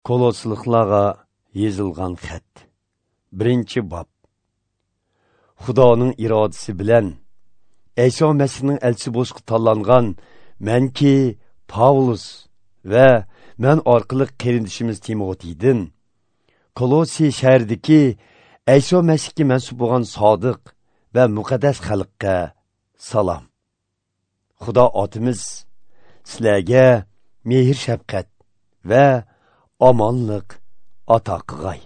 Kolosliqlarga yozilgan xat. 1-bob. Xudoning irodasi bilan Ayso Masihning elchisi bo'lishga tanlangan menki Pavlus va men orqali qarindishimiz Timotiydan Kolosi shahridagi Ayso Masihga mansub bo'lgan sodiq va muqaddas xalqqa salom. Xudo otimiz sizlarga mehr shafqat va omonlik ato qilg'ay.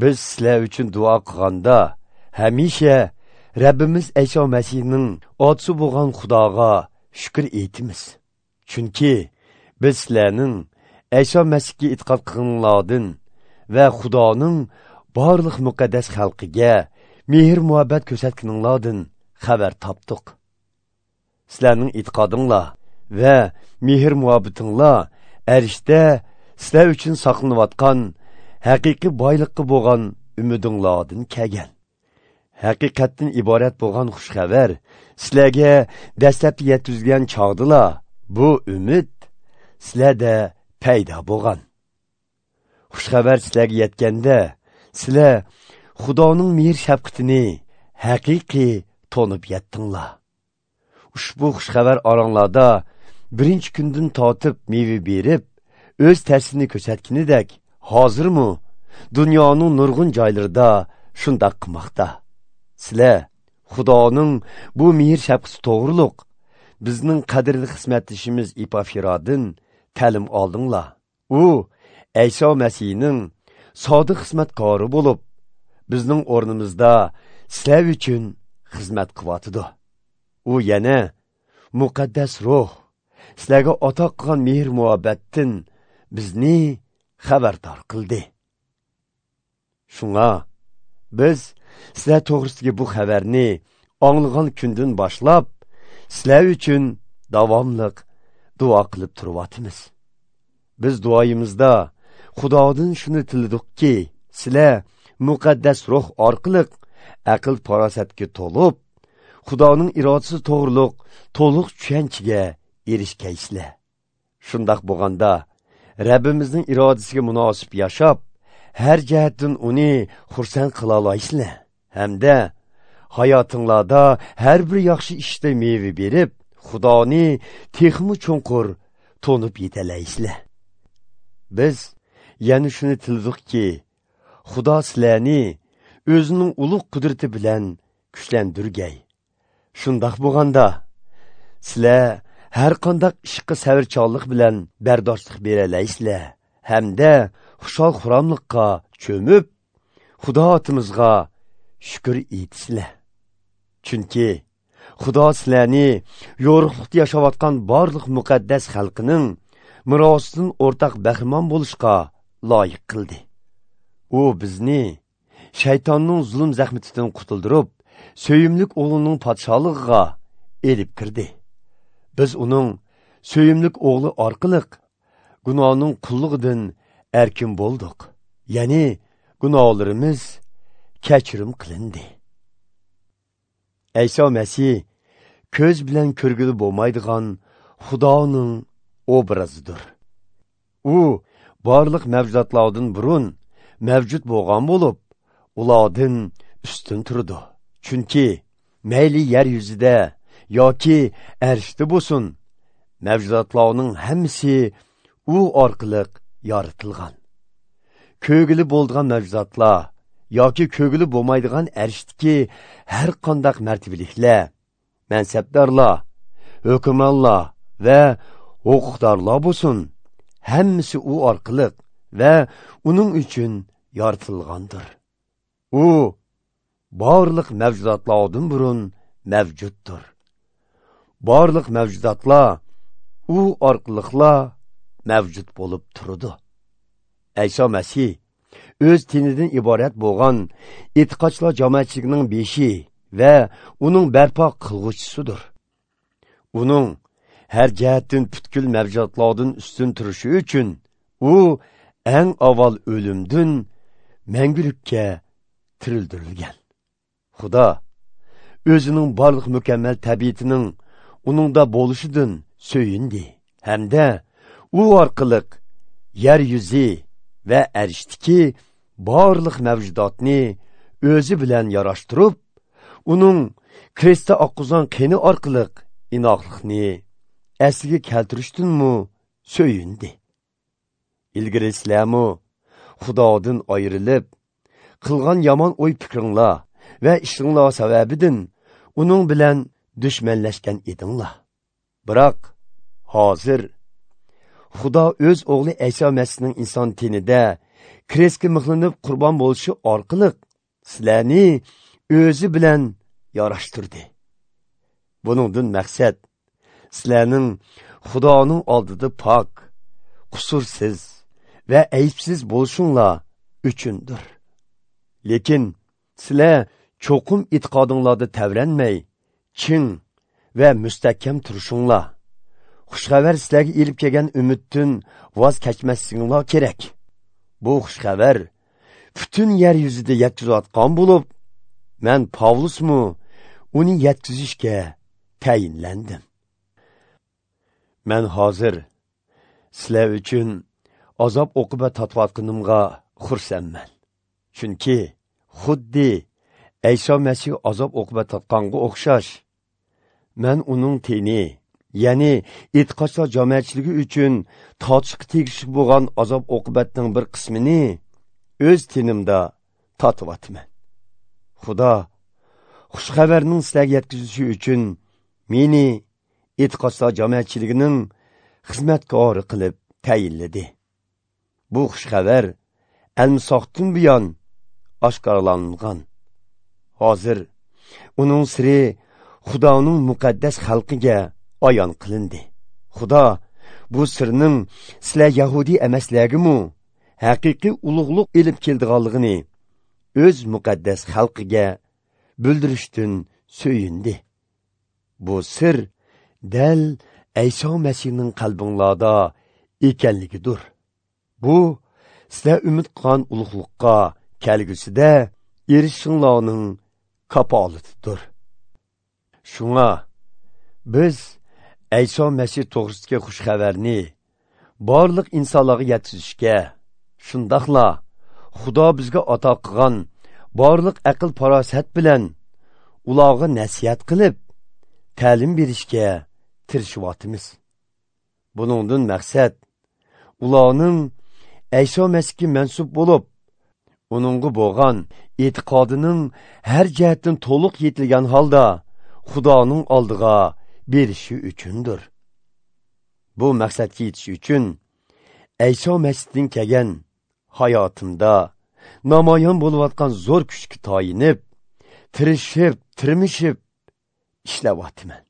Biz sizlar uchun duo qilganda hamisha Rabbimiz Ayso Masihning otisi bo'lgan Xudoga shukr etamiz. Chunki biz sizlarning Ayso Masihga e'tiqod qilganlardan va Xudoning barliq muqaddas xalqiga mehr muhabbat ko'rsatganinglardan xabar topdik. Sizlarning e'tiqodinglar va mehr muhabbatinglar arshda sizlar uchun saqlanayotgan haqiqiy boyliqqa bo'lgan umidinglardan kelgan. Haqiqatdan iborat bo'lgan xush xabar sizlarga dastlabki yetkazilgan chog'dila bu umid sizlarda paydo bo'lgan. Xush xabar sizlarga yetganda sizlar Xudoning mehr shafqatini haqiqiy tonib yetdinglar. Ushbu xush xabar oranglarda birinchi kundan tortib meva berib, o'z ta'sirini ko'rsatganidek, hozirmi dunyoning nurg'un joylarida shundoq qilmoqda. Sizlar Xudoning bu mehr shafqati to'g'riliq bizning qadrli xizmatdishimiz Epafiradan ta'lim oldinglar. U Ayso Masihning sodiq xizmatkori bo'lib, bizning o'rnimizda sizlar uchun xizmat qilyotidi. U yana muqaddas ruh sizlarga ato qilgan mehr muhabbatdan bizni xabardor qildi. Shunga biz sizlar to'g'risidagi bu xabarni anglagan kundan boshlab sizlar uchun davomliq duo qilib turyapmiz. Biz duoyimizda Xudodan shuni tiladikki, sizlar muqaddas ruh orqali aql farosatga to'lib, Xudoning irodasi to'g'riliq to'liq tushunchaga erishgaysizlar. Shundoq bo'lganda Rabbimizning irodasiga munosib yashab, har jihatdan uni xursand qila olasizlar. Hamda hayotinglarda har bir yaxshi ishda meva berib, Xudoni texmi chunqur to'nib yetalaysizlar. Biz yana shuni tiladikki, Xudo sizlarni o'zining ulug' qudrati bilan kuchlantirgay. Shundoq bo'lganda sizlar har qanday ishga sabrchanlik bilan bardoshlik beralaysizlar hamda xushal xuramlikqa cho'mib, Xudo otimizga shukr etisizlar. Chunki Xudo sizlarni yo'riqlikda yashayotgan barliq muqaddas xalqining merosidan o'rtaq bahramon bo'lishga loyiq qildi. U bizni shaytonning zulm zahmatidan qutuldirib, suyimlik o'g'lining podsholig'iga elib kirdi. Biz uning suyimlik o'g'li orqali gunohning qullugidan erkin bo'ldik. Ya'ni gunohlarimiz kechirim qilindi. Ayso Masih ko'z bilan ko'rgili bo'lmaydigan Xudoning obrazidir. U barliq mavjudotlardan burun mavjud bo'lgan bo'lib, ulardan ustun turdi. Chunki mayli yer yuzida yoki arshda bo'lsin, mavjudotlarning hammasi u orqali yaratilgan. Ko'gili bo'lgan mavjudotlar yoki ko'gili bo'lmaydigan arshdagi har qanday martabaliklar, mansabdorlar, hukmronlar va huquqdorlar bo'lsin, hammasi u orqali va uning uchun yaratilgandir. U barliq mavjudotlardan burun mavjuddir. Barliq mavjudotlar u orqaliqla mavjud bo'lib turdi. Ayso Masih o'z tinidan iborat bo'lgan e'tiqodchilar jamoatchiligining beshi va uning barpo qilg'uvchisidir. Uning har jihatdan butkul mavjudotlardan ustun turishi uchun u eng avval o'limdan mangulikka tirildirilgan. Xudo o'zining barliq mukammal tabiatining uningda bo'lishidan so'yindi hamda u orqali yer yuzi va arishdiki barliq mavjudotni o'zi bilan yarashtirib, uning krestda oqqizgan qeni orqali inoqlikni asliga keltirishdanmi so'yindi. Ilgari sizlarmi Xudodan ayrilib, qilgan yomon o'y fikringlar va ishinglar sababidan uning bilan dushmanlashgan edinglar. Biroq hozir Xudo o'z o'g'li Ayso Masihning inson tenida krestga mixlanib qurbon bo'lishi orqali sizlarni o'zi bilan yarashtirdi. Buningdan maqsad sizlarning Xudoning oldida pok, qusursiz va aybsiz bo'lishinglar uchundir. Lekin sizlar cho'qim e'tiqodinglarda tavranmay, ching va mustahkam turishinglar. Xushxabar sizlarga elib kelgan umiddan voz kechmasliginglar kerak. Bu xushxabar butun yer yuzida yetkazayotgan bo'lib, men Pavlusmu uni yetkazishga tayinlandim. Men hozir sizlar uchun azob uqubat tortayotganimga xursandman. Chunki xuddi Ayso Masih azob uqubat tortganga o'xshash, men uning teni, ya'ni e'tiqodchilar jamoatchiligi uchun tortishga tegishli bo'lgan azob uqubatning bir qismini o'z tenimda tortyapman. Xudo xushxabarning sizlarga yetkazilishi uchun meni e'tiqodchilar jamoatchiligining xizmatkori qilib tayinladi. Bu xushxabar almisoqdan buyon oshkorlangan. Hozir uning siri Xudoning muqaddas xalqiga ayon qilindi. Xudo bu sirning sizlar yahudiy emaslargimi haqiqiy ulug'liq elib keldiganligini o'z muqaddas xalqiga bildirishdan so'yindi. Bu sir dal Ayso Masihning qalbinglarda ekanligidir. Bu sizlar umid qilgan ulug'liqqa kelgusida erishishinglarning kafolatidir. Shunga biz Ayso Masih to'g'risidagi xushxabarni barliq insonlarga yetkazishga, shundoqla Xudo bizga ato qilgan barliq aql farosat bilan ularga nasihat qilib, ta'lim berishga tirishyapmiz. Buningdan maqsad ularning Ayso Masihga mansub bo'lib, uningga bo'lgan e'tiqodining har jihatdan to'liq yetilgan holda Xudoning oldiga berishi uchundir. Bu maqsadga yetish uchun Ayso Masihdan kelgan hayotimda namoyon bo'layotgan zo'r kuchga tayinib, tirishib, tirmishib ishlayapman.